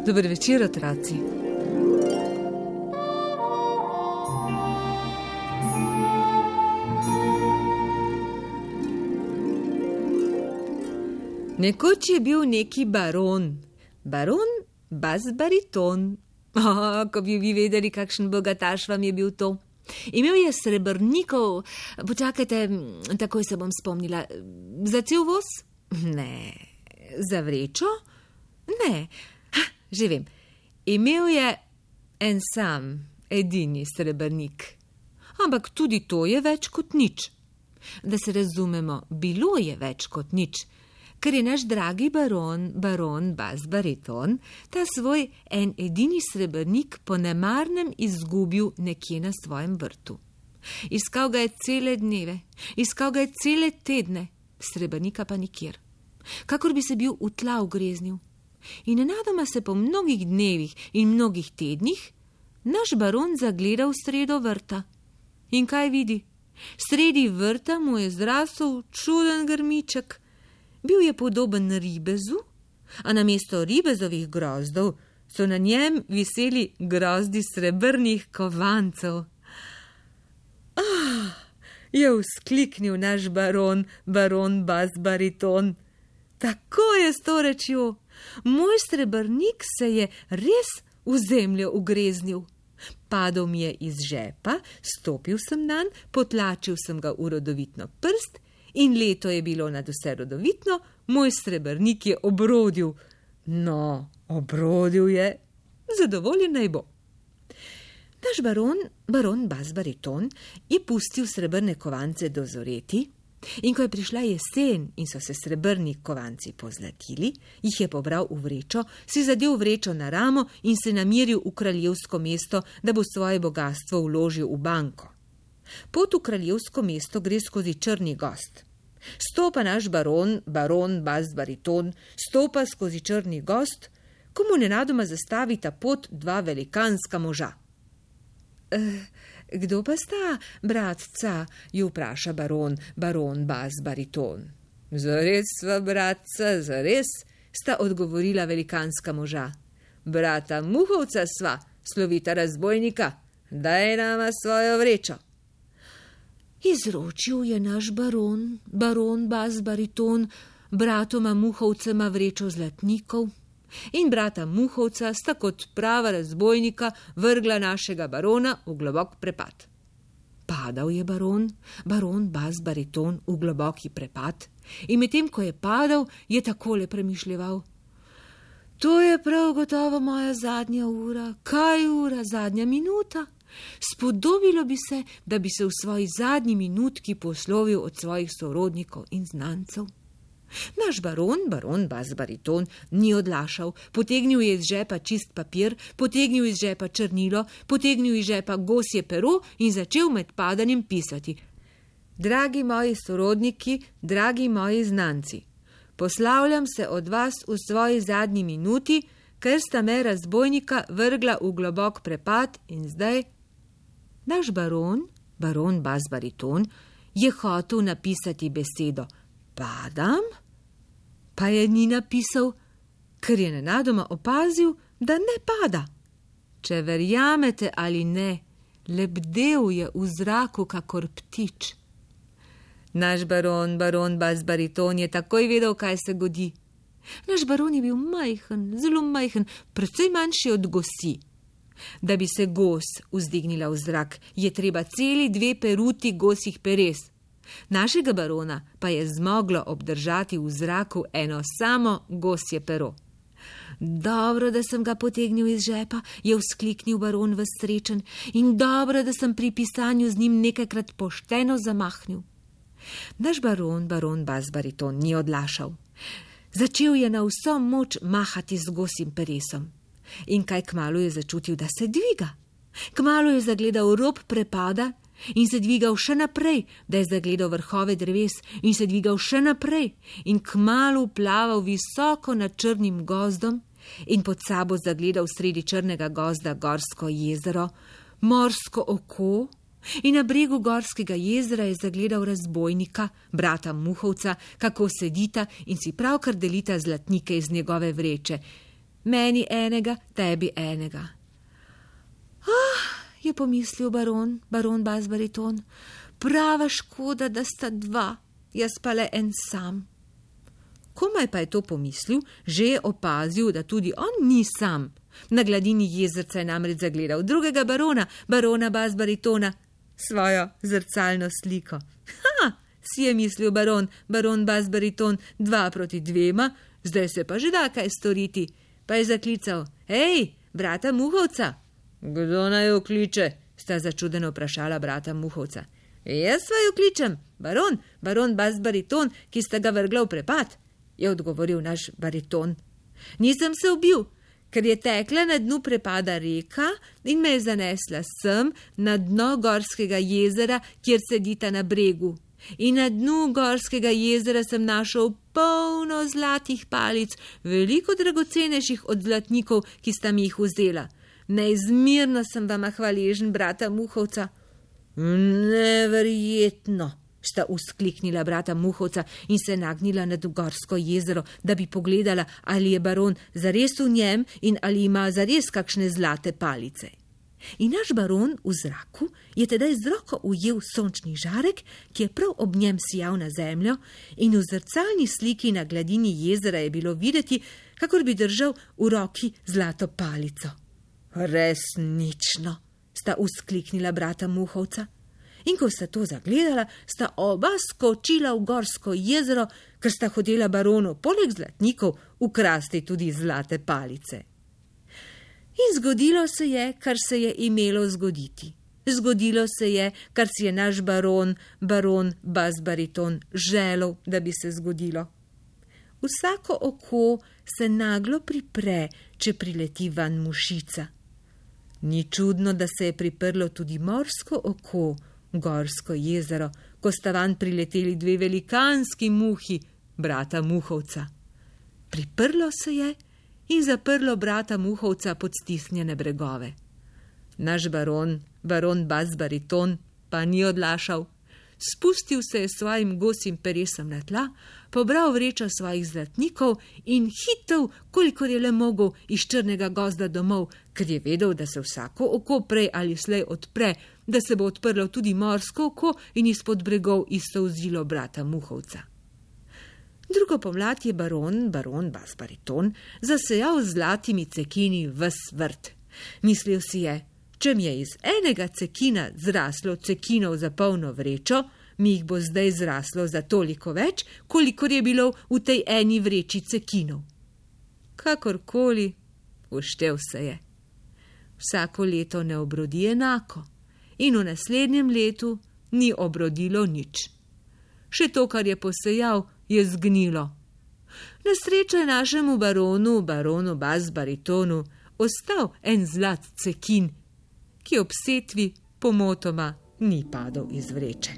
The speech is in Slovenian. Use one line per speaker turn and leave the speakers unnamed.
Dober večer, otroci. Nekoč je bil neki baron bas-bariton. Ko bi vi vedeli, kakšen bogataš vam je bil to. Imel je srebrnikov, počakajte, takoj se bom spomnila, za cel voz? Ne. Za vrečo? Ne. Že vem, imel je en sam, edini srebrnik. Ampak tudi to je več kot nič. Da se razumemo, bilo je več kot nič, ker je naš dragi baron bas-bariton, ta svoj en edini srebrnik po nemarnem izgubil nekje na svojem vrtu. Iskal ga je cele dneve, iskal ga je cele tedne, srebrnika pa nikjer. Kakor bi se bil v tla ugreznil. In nenadoma se po mnogih dnevih in mnogih tednih naš baron zagleda v sredo vrta. In kaj vidi? Sredi vrta mu je zrasel čuden grmiček. Bil je podoben ribezu, a namesto ribezovih grozdov so na njem viseli grozdi srebrnih kovancev. Je vzkliknil naš baron bas-bariton. Tako je s to rečjo. Moj srebrnik se je res v zemljo ugreznil. Padel mi je iz žepa, stopil sem nanj, potlačil sem ga v rodovitno prst in leto je bilo nadvse rodovitno, moj srebrnik je obrodil. No, obrodil je, zadovoljen naj bo. Naš baron bas-bariton, je pustil srebrne kovance dozoreti. In ko je prišla jesen in so se srebrni kovanci pozlatili, jih je pobral v vrečo, si zadel vrečo na ramo in se namiril v kraljevsko mesto, da bo svoje bogastvo vložil v banko. Pot v kraljevsko mesto gre skozi Črni gozd. Stopa naš baron bas-bariton, stopa skozi Črni gozd, ko mu nenadoma zastavita pot dva velikanska moža. Kdo pa sta, bratca, ju vpraša baron bas-bariton. Zares sva, bratca, zares, sta odgovorila velikanska moža. Brata Muhovca sva, slovita razbojnika, daj nama svojo vrečo. Izročil je naš baron bas-bariton, bratoma Muhovcema vrečo zlatnikov. In brata Muhovca sta kot prava razbojnika vrgla našega barona v globok prepad. Padal je baron bas-bariton v globoki prepad in medtem, ko je padal, je takole premišljeval. To je prav gotovo moja zadnja ura. Kaj ura, zadnja minuta? Spodobilo bi se, da bi se v svoji zadnji minutki poslovil od svojih sorodnikov in znancev. Naš baron bas-bariton, ni odlašal, potegnil je iz žepa čist papir, potegnil iz žepa črnilo, potegnil iz žepa gosje pero in začel med padanjem pisati. Dragi moji sorodniki, dragi moji znanci, poslavljam se od vas v svoji zadnji minuti, ker sta me razbojnika vrgla v globok prepad in zdaj. Naš baron bas-bariton, je hotel napisati besedo padam, pa je ni napisal, ker je nenadoma opazil, da ne pada. Če verjamete ali ne, lebdel je v zraku kakor ptič. Naš baron bas-bariton je takoj vedel, kaj se godi. Naš baron je bil majhen, zelo majhen, precej manjši od gosi. Da bi se gos vzdignila v zrak, je treba celi 2 peruti gosjih peres. Našega barona pa je zmoglo obdržati v zraku eno samo gosje pero. Dobro, da sem ga potegnil iz žepa, je vzkliknil baron ves srečen, in dobro, da sem pri pisanju z njim nekajkrat pošteno zamahnil. Naš baron bas-bariton, ni odlašal. Začel je na vso moč mahati z gosjim peresom. In kaj kmalu je začutil, da se dviga. Kmalu je zagledal rob prepada in se dvigal še naprej, da je zagledal vrhove dreves in se dvigal še naprej in kmalu plaval visoko nad črnim gozdom in pod sabo zagledal sredi črnega gozda gorsko jezero, morsko oko in na bregu gorskega jezera je zagledal razbojnika, brata Muhovca, kako sedita in si pravkar delita zlatnike iz njegove vreče. Meni enega, tebi enega. Je pomislil baron bas-bariton, prava škoda, da sta dva, jaz pa le en sam. Komaj pa je to pomislil, že je opazil, da tudi on ni sam. Na gladini jezerca je namreč zagledal drugega barona bas-baritona, svojo zrcalno sliko. Si je mislil baron bas-bariton, 2 proti 2, zdaj se pa že da kaj storiti. Pa je zaklical, hej, brata Muhovca. Kdo naj jo kliče? Sta začudeno vprašala brata Muhovca. Jaz vaju kličem, baron bas-bariton, ki sta ga vrgla v prepad, je odgovoril naš bariton. Nisem se ubil, ker je tekla na dnu prepada reka in me je zanesla sem na dno gorskega jezera, kjer sedita na bregu. In na dnu gorskega jezera sem našel polno zlatih palic, veliko dragocenejših od zlatnikov, ki sta mi jih vzela. Neizmerno sem vama hvaležen, brata Muhovca. Neverjetno, sta vzkliknila brata Muhovca in se nagnila nad gorsko jezero, da bi pogledala, ali je baron zares v njem in ali ima zares kakšne zlate palice. In naš baron v zraku je tedaj z roko ujel sončni žarek, ki je prav ob njem sijal na zemljo, in v zrcalni sliki na gladini jezera je bilo videti, kakor bi držal v roki zlato palico. Resnično, sta vzkliknila brata Muhovca. In ko sta to zagledala, sta oba skočila v gorsko jezero, ker sta hotela baronu poleg zlatnikov ukrasti tudi zlate palice. In zgodilo se je, kar se je imelo zgoditi. Zgodilo se je, kar si je naš baron bas-bariton želel, da bi se zgodilo. Vsako oko se naglo pripre, če prileti van mušica. Ni čudno, da se je priprlo tudi morsko oko, gorsko jezero, ko sta van prileteli 2 velikanski muhi, brata Muhovca. Priprlo se je in zaprlo brata Muhovca pod stisnjene bregove. Naš baron bas-bariton, pa ni odlašal. Spustil se je svojim gosim peresom na tla, pobral vrečo svojih zlatnikov in hitel, kolikor je le mogel, iz črnega gozda domov, ker je vedel, da se vsako oko prej ali slej odpre, da se bo odprlo tudi morsko oko in izpod bregov izsolzilo brata Muhovca. Drugo pomlad je baron bas-bariton zasejal z zlatimi cekini ves vrt. Mislil si je, če mi je iz enega cekina zraslo cekinov za polno vrečo, mi jih bo zdaj zraslo za toliko več, kolikor je bilo v tej eni vreči cekinov. Kakorkoli, uštel se je. Vsako leto ne obrodi enako in v naslednjem letu ni obrodilo nič. Še to, kar je posejal, je zgnilo. Na srečo je našemu baronu bas-baritonu ostal en zlat cekin, ki ob setvi pomotoma ni padel iz vreče.